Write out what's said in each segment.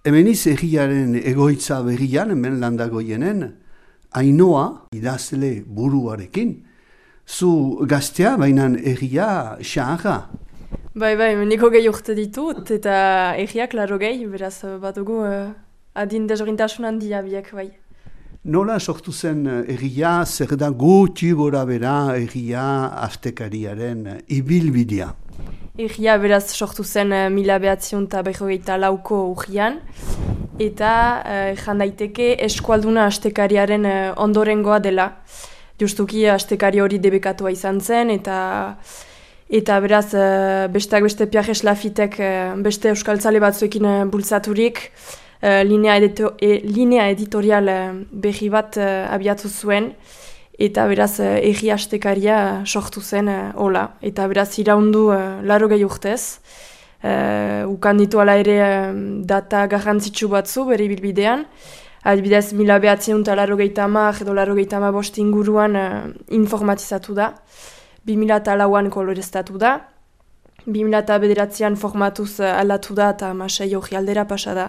Hemeniz egiaren egoitza berrian, hemen landagoienen, Ainoa idazle buruarekin. Zu gaztea, baina egia xaharra. Bai, niko gehi urte ditut, eta egiak laro gehi, beraz bat dugu adin dezorintasun handia biak, bai. Nola sortu zen egia, zer da gutxi gora bera egia astekariaren ibilbidea? Egia beraz sortu zen 1994 urrian, eta jan daiteke eskualduna astekariaren ondorengoa dela. Justuki astekari hori debekatua izan zen, eta beraz besteak beste Pierre Lafitek beste euskaltzale batzuekin bultzaturik, linea editorial berri bat abiatu zuen, eta beraz egi astekaria sortu zen hola. Eta beraz iraundu 80 urtez, ukan ditu ala ere data garrantzitsu batzu bere ibilbidean. Adibidez, 1980 edo 85 inguruan informatizatu da, 2004an koloreztatu da, 2009an formatuz aldatu da eta 2006 hori aldera pasa da.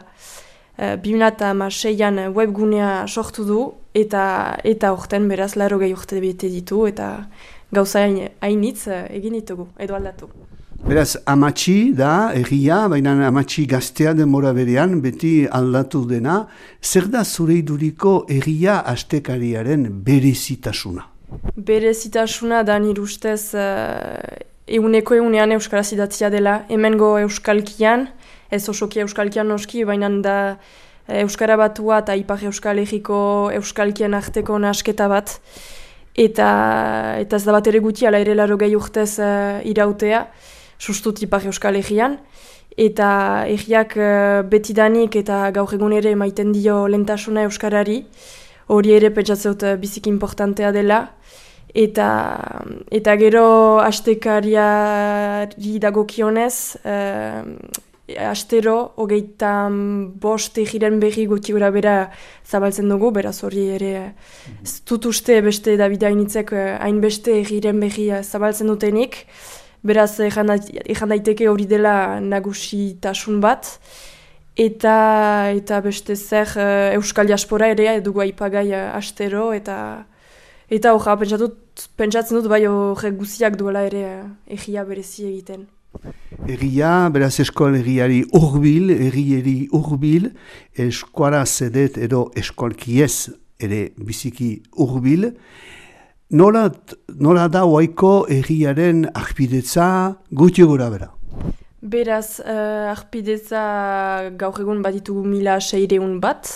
2006an webgunea sortu du eta horten beraz 80 urte bete ditu eta gauza hainitz egin ditugu edo aldatu. Beraz, amatxi da egia, baina amatxi gaztea denbora berean beti aldatu dena. Zer da zure iduriko egia astekariaren berezitasuna? Berezitasuna da nire ustez egunean euskaraz idatzia dela. Hemengo euskalkian, ez osoki euskalkian noski, baina da euskara batua eta ipar euskal egiko euskalkien arteko nasketa bat. Eta ez da bat ere guti, ala ere 80 urtez irautea, sustut ipar euskal egian. Eta egiak betidanik eta gaur egun ere maiten dio lentasuna euskarari, hori ere pentsatzeut biziki importantea dela. Eta gero astekariari dagokionez, astero, 25 egiren berri gutxi gora bera zabaltzen dugu, beraz hori ere ez dut uste beste David hainitzek hainbeste egiren berri zabaltzen dutenik, beraz ejan daiteke hori dela nagusitasun bat, eta beste zer euskal diaspora ere dugu aipagai astero, eta horra pentsatzen dut bai horrek guziak duela ere egia berezi egiten. Egia, beraz eskoal egiari urbil, eskuara zedet edo eskualkiez ere biziki urbil. Nola da oaiko egiaren ahpidetza gutxi gora bera? Beraz, ahpidetza gaur egun bat ditugu 1600 bat,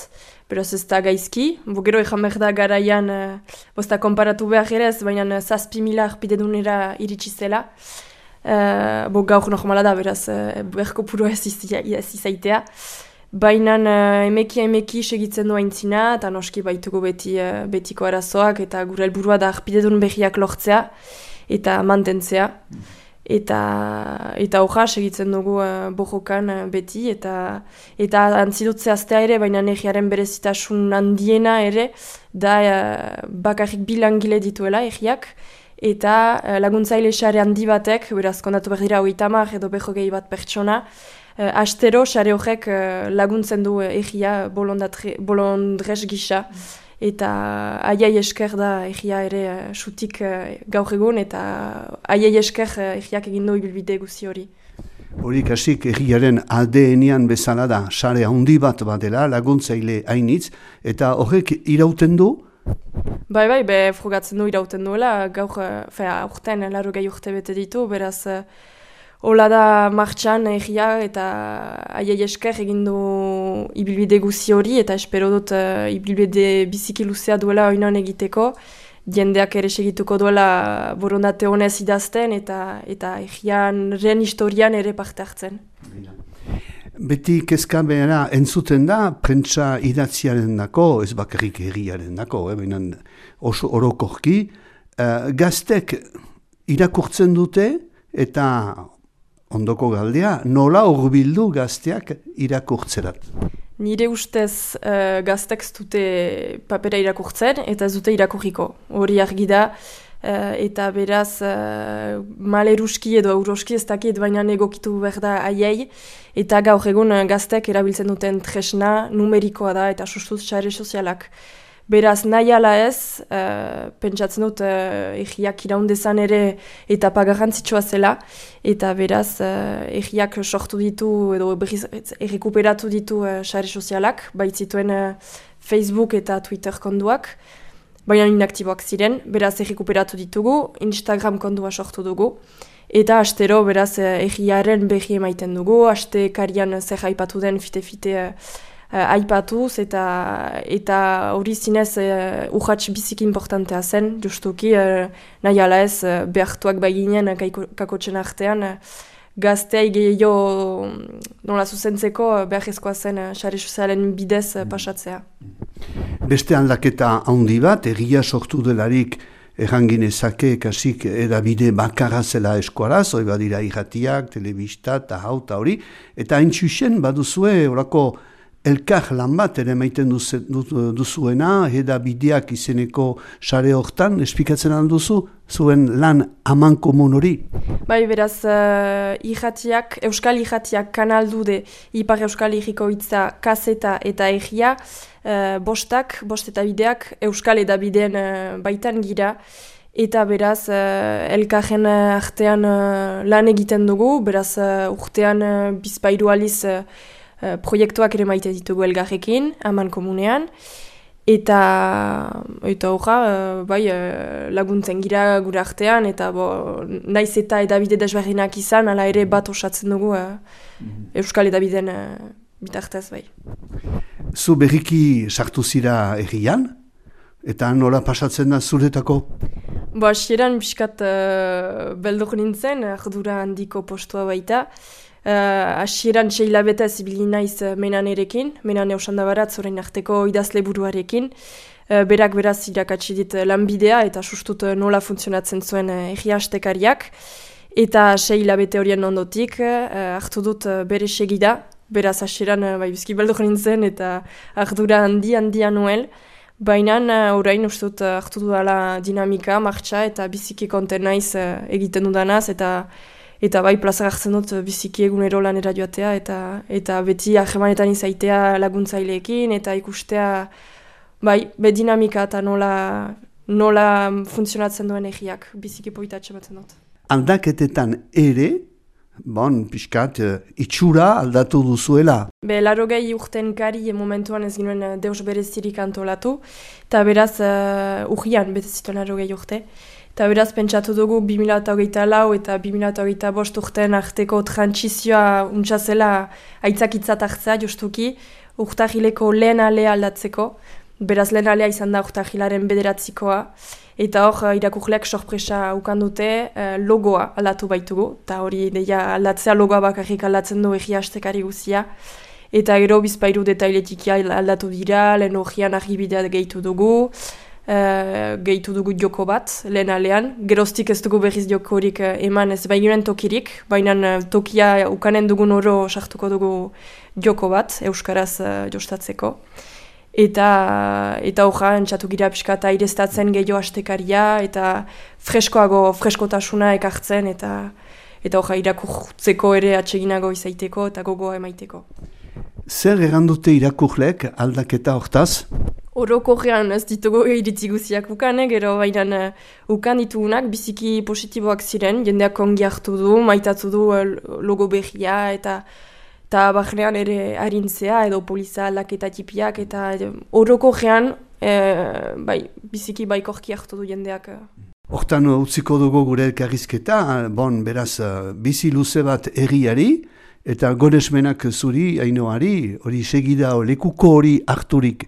beraz ez da gaizki. Gero ejan behar da garaian, bozta konparatu behar ere ez, baina 7.000 ahpidedunera iritsi zela. Gaur normala da, beraz, berko puro ez izaitea. Baina emeki segitzen du aintzina, eta noski baitugu betiko arazoak, eta gure helburua da ahpidedun berriak lortzea, eta mantentzea. Eta hoja segitzen dugu bojokan beti, eta antzidutzea aztea ere, baina egiaren berezitasun handiena ere, da bakarrik bi langile dituela egiak, eta laguntzaile sare handi batek, beraz kondatu behar dira 30 edo 40 bat pertsona, astero sare horrek laguntzen du egia bolondrez gisa, eta aiai esker da egia ere sutik gaur egun, eta aiai esker egiak egin du ibilbide guzi hori. Hori kasik egiaren ADN-ean bezala da, sare handi bat badela, laguntzaile hainitz, eta horrek irauten du? Bai, frugatzen du irauten duela, gaur, urten, 80 urte bete ditu, beraz, hola da martxan egia eta aiai esker egin du ibilbide guzi hori, eta espero dut ibilbide biziki luzea duela oinon egiteko, jendeak ere segituko duela borondate honez idazten, eta egiaren historian ere parte hartzen. Beti kezka behera entzuten da, prentsa idatziaren dako, ez bakarrik egiaren dako, oso orokorki, gaztek irakurtzen dute eta ondoko galdea, nola hurbildu gazteak irakurtzerat? Nire ustez gaztek dute papera irakurtzen eta ez dute irakurriko. Hori argi da, eta beraz maleruski edo euroski ez dakit baina egokitu behar da haiei, eta gaur egun gaztek erabiltzen duten tresna numerikoa da eta sustuz sare sozialak. Beraz, nahi ala ez, pentsatzen dut egiak iraundezan ere etapa garrantzitsua zela, eta beraz, egiak sortu ditu edo errekuperatu ditu sare sozialak, baitzituen Facebook eta Twitter konduak, baina inaktiboak ziren, beraz errekuperatu ditugu, Instagram kondua sortu dugu, eta astero beraz egiaren behi emaiten dugu, aste karian zer aipatu den fite-fite aipatuz eta hori zinez urratx biziki importantea zen, justuki nahi ala ez behartuak baginen kakotxen artean gazteai gehiago nola zuzentzeko beharrezkoa zen sare sozialen bidez pasatzea. Beste aldaketa handi bat, egia sortu delarik erranginezake kasik edabide bakarra zela eskuaraz, hori badira irratiak, telebista eta hauta hori, eta hain txusen baduzue horako elkar lan bat ere maiten duzuena, edabideak izeneko sare hortan, esplikatzen alduzu, zuen lan aman komun hori? Bai, beraz, Euskal Irratiak kanaldude, Ipar Euskal Herriko hitza, kaseta eta egia, bost eta bideak Euskal edabideen baitan gira, eta beraz, elkarren artean lan egiten dugu, beraz, urtean bizpairu aliz proiektuak ere maite ditugu elgarrekin, aman komunean, eta horra, laguntzen gira gure artean, eta naiz eta edabide desberdinak izan, ala ere bat osatzen dugu Euskal edabideen bitartez, bai. Zu berriki sartu zira egian, eta nola pasatzen da zuretako? Hasieran pixkat beldur nintzen, ardura handiko postua baita, hasieran 6 hilabetez ibili naiz Menan erekin, Menan Eusandabaratz orain arteko idazle buruarekin, berak beraz irakatsi dit lanbidea eta sustut nola funtzionatzen zuen egia astekariak, eta 6 hilabete horien ondotik hartu dut bere segida, beraz hasieran bizki beldur nintzen eta ardura handia nuel, baina orain ustut hartu dudala dinamika, martxa eta biziki konten naiz egiten dudanaz, eta bai plazak hartzen dut biziki egunero lanera joatea eta beti ahemanetan izaitea laguntzaileekin eta ikustea bai, dinamika eta nola funtzionatzen duen egiak biziki poitatxe batzen dut. Aldaketetan ere, pixkat, itxura aldatu duzuela. 80 urten kari momentuan ez ginen deus berezirik antolatu, eta beraz urrian bete zituen 80 urte. Eta beraz pentsatu dugu 2024 eta 2025 urten arteko trantsizioa untxazela aitzakitzat hartzea justuki, urtahileko lehen alea aldatzeko. Beraz lehen alea izan da urtahilaren 9. Eta hor irakurleak sorpresa ukandute logoa aldatu baitugu. Eta hori deia aldatzea logoa bakarrik aldatzen du egia astekari guzia. Eta gero bizpairu detailetik aldatu dira, lehen horian argibidea gehitu dugu. Gehitu dugu joko bat, lehen alean. Geroztik ez dugu berriz jokorik eman ez baiginen tokirik, baina tokia ukanen dugun oro sartuko dugu joko bat, euskaraz jostatzeko. Eta horra, entzatu gira pixka eta aireztatzen gehiago astekaria, eta freskotasuna ekartzen, eta horra irakurtzeko ere atseginago izaiteko eta gogoa emaiteko. Zer errandute irakurleek aldaketa hortaz? Orokorrean ez ditugu iritzi guziak ukanek, gero baina ukan ditugunak biziki positiboak ziren, jendeak ongi hartu du, maitatu du logo berria eta barnean ere harintzea edo poliza aldaketa tipiak eta orokorrean biziki baikorki hartu du jendeak. Hortan utziko dugu gure elkarrizketa, beraz bizi luze bat egiari, eta goresmenak zuri, Ainoari, hori segida lekuko hori harturik